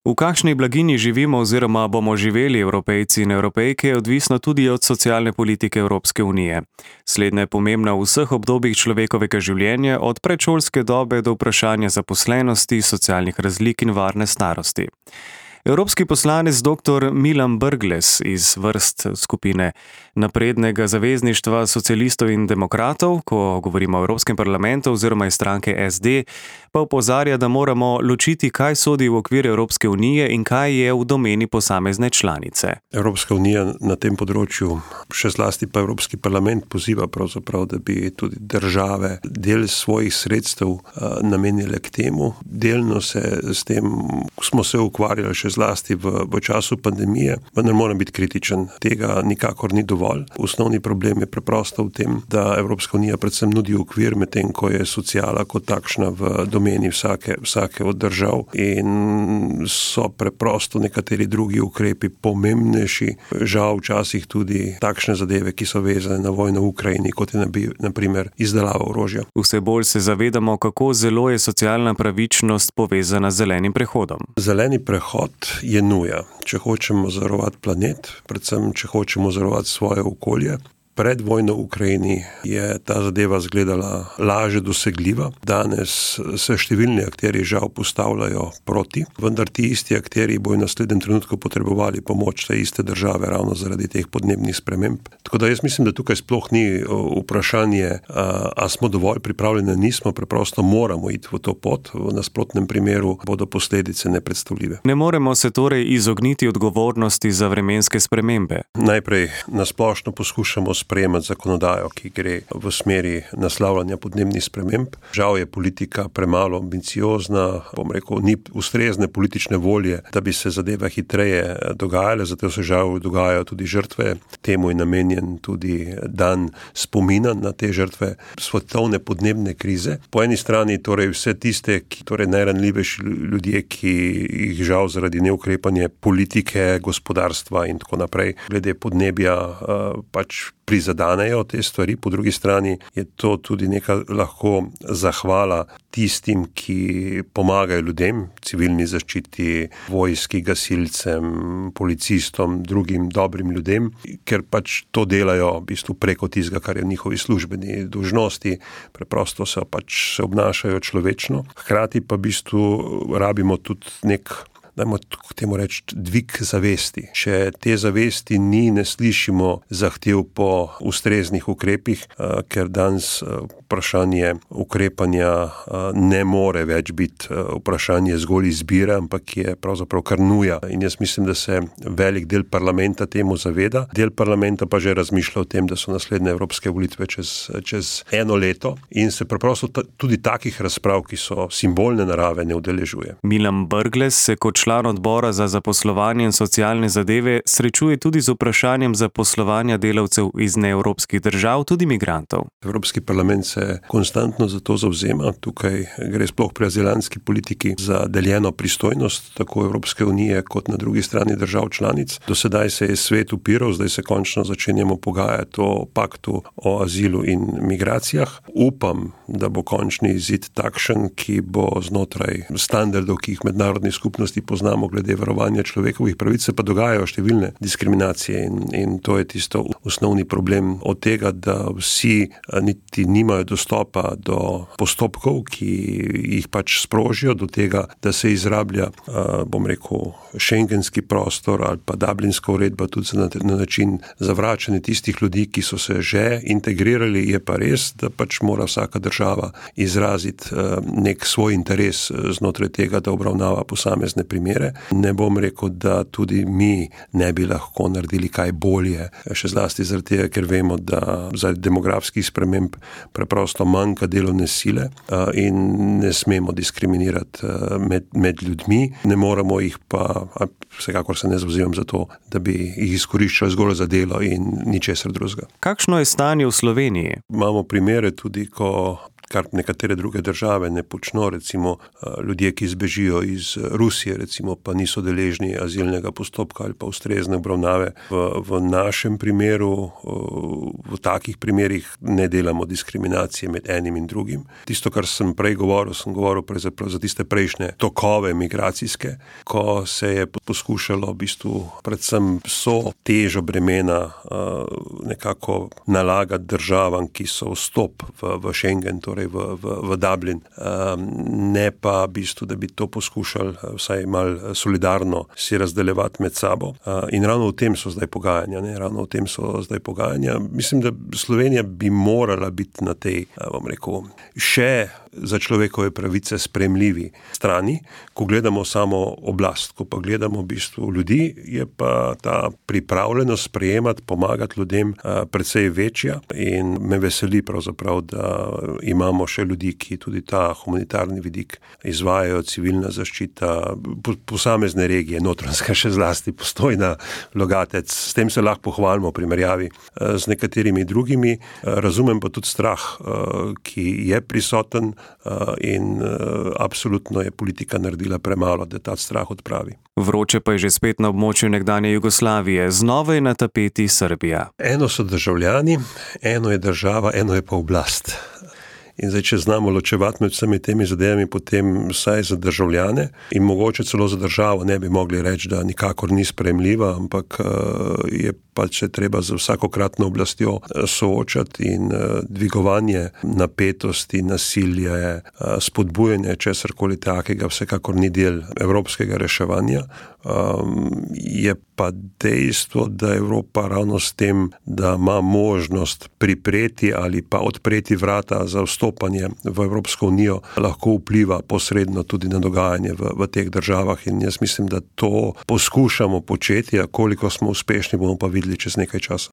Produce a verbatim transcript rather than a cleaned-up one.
V kakšni blaginji živimo oziroma bomo živeli Evropejci in Evropejke, je odvisno tudi od socialne politike Evropske unije. Slednja je pomembna v vseh obdobjih človekovega življenja, od predšolske dobe do vprašanja zaposlenosti, socialnih razlik in varne starosti. Evropski poslanec doktor Milan Brglez iz vrst skupine Naprednega zavezništva socialistov in demokratov, ko govorimo o Evropskem parlamentu oziroma iz stranke es de, pa opozarja, da moramo ločiti, kaj sodi v okvir Evropske unije in kaj je v domeni posamezne članice. Evropska unija na tem področju, še zlasti pa Evropski parlament, poziva pravzaprav, da bi tudi države del svojih sredstev namenile k temu. Delno se s tem smo se ukvarjali še zlasti v, v času pandemije, vendar moram biti kritičen. Tega nikakor ni dovolj. Osnovni problem je preprosto v tem, da Evropska unija predvsem nudi okvir, medtem ko je sociala kot takšna v domeni vsake, vsake od držav in so preprosto nekateri drugi ukrepi pomembnejši. Žal včasih tudi takšne zadeve, ki so vezane na vojno v Ukrajini, kot je na primer izdelava orožja. Vse bolj se zavedamo, kako zelo je socialna pravičnost povezana z zelenim prehodom. Zeleni prehod je nuja, če hočemo zavarovati planet, predvsem če hočemo zavarovati svoje okolje. Pred vojno v Ukrajini je ta zadeva izgledala lažje dosegljiva. Danes se številni akteri žal postavljajo proti, vendar ti isti akteri bojo v naslednjem trenutku potrebovali pomoč te iste države ravno zaradi teh podnebnih sprememb. Tako da jaz mislim, da tukaj sploh ni vprašanje, a smo dovolj pripravljeni, nismo, preprosto moramo iti v to pot, v nasprotnem primeru bodo posledice nepredstavljive. Ne moremo se torej izogniti odgovornosti za vremenske spremembe. Najprej nasplošno poskušamo sprejemati zakonodajo, ki gre v smeri naslavljanja podnebnih sprememb. Žal je politika premalo ambiciozna, bom rekel, ni ustrezne politične volje, da bi se zadeve hitreje dogajale, zato se žal dogajajo tudi žrtve. Temu je namenjen tudi dan spomina na te žrtve svetovne podnebne krize. Po eni strani torej vse tiste, ki torej najranljivejši ljudje, ki jih žal zaradi neukrepanja politike, gospodarstva in tako naprej, glede podnebja pač prizadanejo te stvari, po drugi strani je to tudi neka lahko zahvala tistim, ki pomagajo ljudem, civilni zaščiti, vojski, gasilcem, policistom, drugim dobrim ljudem, ker pač to delajo v bistvu preko tistega, kar je njihovi službeni dolžnosti, preprosto se pač se obnašajo človečno. Hkrati pa v bistvu rabimo tudi nek, dajmo temu reči, dvig zavesti. Če te zavesti ni, ne slišimo zahtev po ustreznih ukrepih, ker danes vprašanje ukrepanja ne more več biti vprašanje zgolj izbire, ampak je pravzaprav kar nuja. In jaz mislim, da se velik del parlamenta temu zaveda. Del parlamenta pa že razmišlja o tem, da so naslednje evropske volitve čez, čez eno leto in se preprosto ta, tudi takih razprav, ki so simbolne narave, ne udeležuje. Milan Brglez se kot član odbora za zaposlovanje in socialne zadeve srečuje tudi z vprašanjem zaposlovanja delavcev iz neevropskih držav, tudi migrantov. Evropski parlament se konstantno za to zavzema. Tukaj gre sploh pri azilantski politiki za deljeno pristojnost tako Evropske unije kot na drugi strani držav članic. Do sedaj se je svet upiral, zdaj se končno začenjamo pogajati o paktu o azilu in migracijah. Upam, da bo končni izid takšen, ki bo znotraj standardov, ki jih mednarodni skupnosti poznamo glede varovanja človekovih pravic, se pa dogajajo številne diskriminacije in, in to je tisto osnovni problem od tega, da vsi niti nimajo dostopa do postopkov, ki jih pač sprožijo, do tega, da se izrablja, bom rekel, šengenski prostor ali pa dublinska uredba tudi na, na način zavračanja tistih ljudi, ki so se že integrirali. Je pa res, da pač mora vsaka država izraziti nek svoj interes znotraj tega, da obravnava posamezne primere. Ne bom rekel, da tudi mi ne bi lahko naredili kaj bolje, še zlasti zaradi tega, ker vemo, da zaradi demografskih sprememb preprosto manjka delovne sile in ne smemo diskriminirati med, med ljudmi. Ne moramo jih pa, vsekakor se ne zavzemam za to, da bi jih izkoriščali zgolj za delo in ničesar drugega. Kakšno je stanje v Sloveniji? Imamo primere tudi, ko kar nekatere druge države ne počno, recimo ljudje, ki zbežijo iz Rusije, recimo pa niso deležni azilnega postopka ali pa ustrezne obravnave. V, v našem primeru, v takih primerih ne delamo diskriminacije med enim in drugim. Tisto, kar sem prej govoril, sem govoril za tiste prejšnje tokove migracijske, ko se je poskušalo v bistvu predvsem so težo bremena nekako nalagati državam, ki so vstop v, v Schengen, torej v, v, v Dublin, ne pa v bistvu, da bi to poskušali vsaj malo solidarno si razdeljevati med sabo. In ravno v tem so zdaj pogajanja, ne? Ravno v tem so zdaj pogajanja. Mislim, da Slovenija bi morala biti na tej, bom rekel, še za človekove pravice sprejemljivi strani, ko gledamo samo oblast, ko pa gledamo v bistvu ljudi, je pa ta pripravljenost sprejemati, pomagati ljudem precej večja in me veseli pravzaprav, da imamo še ljudi, ki tudi ta humanitarni vidik izvajajo, civilna zaščita, posamezne regije, Notranjska še zlasti, Postojna, Logatec, s tem se lahko pohvalimo v primerjavi z nekaterimi drugimi. Razumem pa tudi strah, ki je prisoten in absolutno je politika naredila premalo, da ta strah odpravi. Vroče pa je že spet na območju nekdanje Jugoslavije. Znova je na tapeti Srbija. Eno so državljani, eno je država, eno je pa oblast. In zdaj, če znamo ločevati med vsemi temi zadevami, potem vsaj za državljane in mogoče celo za državo ne bi mogli reči, da nikakor ni sprejemljiva, ampak je pač se treba z vsakokratno oblastjo soočati in dvigovanje napetosti, nasilje, spodbujanje česarkoli takega vsekakor ni del evropskega reševanja. Je pa dejstvo, da Evropa ravno s tem, da ima možnost pripreti ali pa odpreti vrata za vstopanje v Evropsko unijo, lahko vpliva posredno tudi na dogajanje v, v teh državah in jaz mislim, da to poskušamo početi, a koliko smo uspešni, bomo pa videli čez nekaj časa.